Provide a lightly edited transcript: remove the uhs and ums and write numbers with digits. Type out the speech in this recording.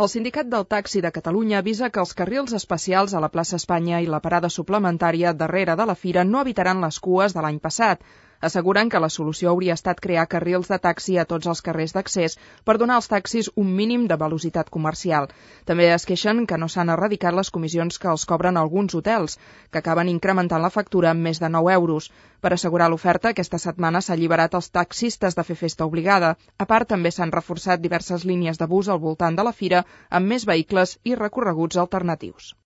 El Sindicat del Taxi de Catalunya avisa que els carrils especials a la plaça Espanya i la parada suplementària darrere de la fira no evitaran les cues de l'any passat. Asseguren que la solució hauria estat crear carrils de taxi a tots els carrers d'accés per donar als taxis un mínim de velocitat comercial. També es queixen que no s'han erradicat les comissions que els cobren alguns hotels, que acaben incrementant la factura amb més de 9 euros. Per assegurar l'oferta, aquesta setmana s'ha alliberat els taxistes de fer festa obligada. A part, també s'han reforçat diverses línies de bus al voltant de la fira amb més vehicles i recorreguts alternatius.